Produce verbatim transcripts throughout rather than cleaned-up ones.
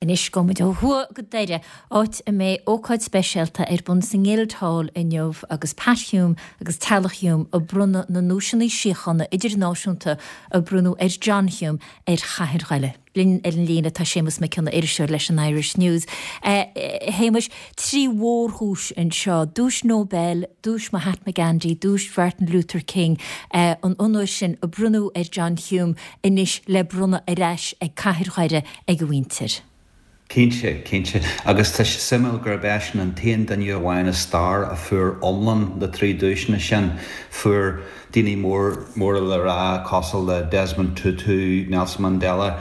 Anois gabhfaidh muid ó thuaidh go Doire, áit a mbeidh ócáid speisialta ar bun sa nGuildhall inniu agus Pat Hume agus teaghlach Hume ag bronnadh na nduaiseanna síochána idirnáisiúnta a bronnadh ar John Hume ar chathair Dhoire. Linn ar an líne tá Séamus Mac Cionnaith, iriseoir leis an Irish News. A Shéamuis, trí mhórdhuais anseo, duais Nobel, duais Mahatma Gandhi, duais Martin Luther King, an onóir sin a bronnadh ar John Hume anois le bronnadh ar ais ag cathair Dhoire ag a mhuintir. Cinnte, cinnte. Agus tá sé suimiúil gurb eisean an t-aon duine amháin i stair a fuair iomlán na trí duaiseanna sin. Fuair daoine mór móra le rá cosúil le Desmond Tutu, Nelson Mandela,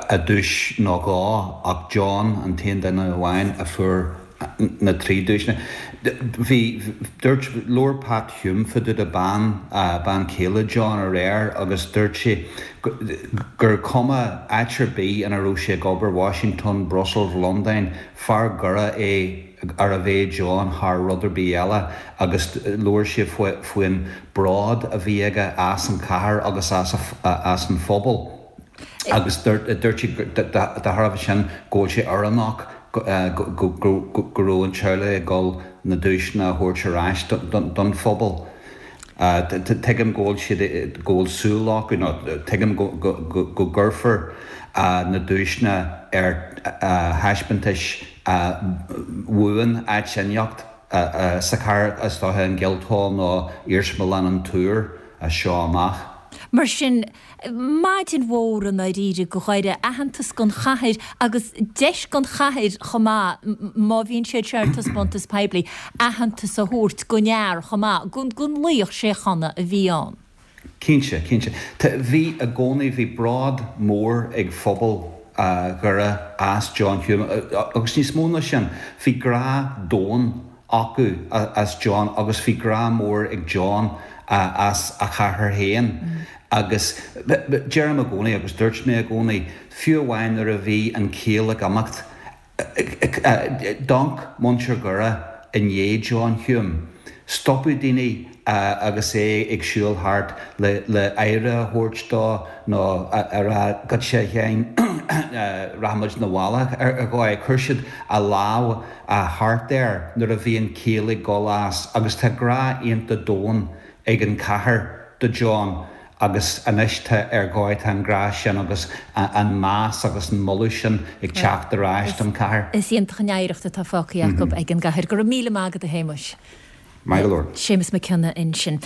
a duais nó dhó, ach John an t-aon duine amháin a fuair na trí duaiseanna. Bhí dúirt labhair Pat Hume fá dtaobh de bean bean chéile John aréir agus dúirt sé gur cuma áit ar bith ina raibh sé ag obair Washington, Brussels, Londain, fear Dhoire é arbh é John thar rud ar bith eile agus labhair sé faoin bród a bhí aige as an chathair agus as as an phobal. Agus dúirt sé de thairbhe sin go bhfuil sé oiriúnach go raibh an teaghlach ag dul na duaiseanna a thabhairt ar ais don phobal. Tuigim go bhfuil siad go bhfuil súil acu nó tuigim go gcuirfear na duaiseanna ar thaispeántais bhuan áit inteacht sa chathair is dócha an Guildhall nó Iarsmalann an Túir as seo amach. Mar sin, maidin mhór i ndáiríre do Dhoire, aitheantas don chathair agus deis don chathair chomh maith, má bhíonn siad seo ar taispeántas poiblí, aitheantas a thabhairt don fhear chomh maith, don laoch síochána a bhí ann. Cinnte, cinnte. Bhí i gcónaí, bhí bród mór ag phobal Dhoire as John Hume agus níos mó ná sin, bhí grá domhain acu as John agus bhí grá mór ag John as a chathair féin agus deirim i gcónaí agus dúirt mé i gcónaí, fiú amháin nuair a bhí an ciall ag imeacht, d'amharc muintir Dhoire i ndiaidh John Hume. Stopadh daoine agus é ag siúl thart le le aire a thabhairt dó nó a rá goitse a Sheáin rachaimid 'na bhaile ar dhóigh. Chuir siad a lámh thart air nuair a bhí an ciall ag dul as agus tá grá iontach domhain ag an chathair do John agus anois tá ar dhóigh tá an grá sin agus an meas agus an moladh sin ag teacht ar ais don chathair. Is iontach an oidhreacht atá fágtha acu ag an gcathair. Go raibh míle maith agat a Shéamuis. Maith go leor. Séamus Mac Cionnaith ansin.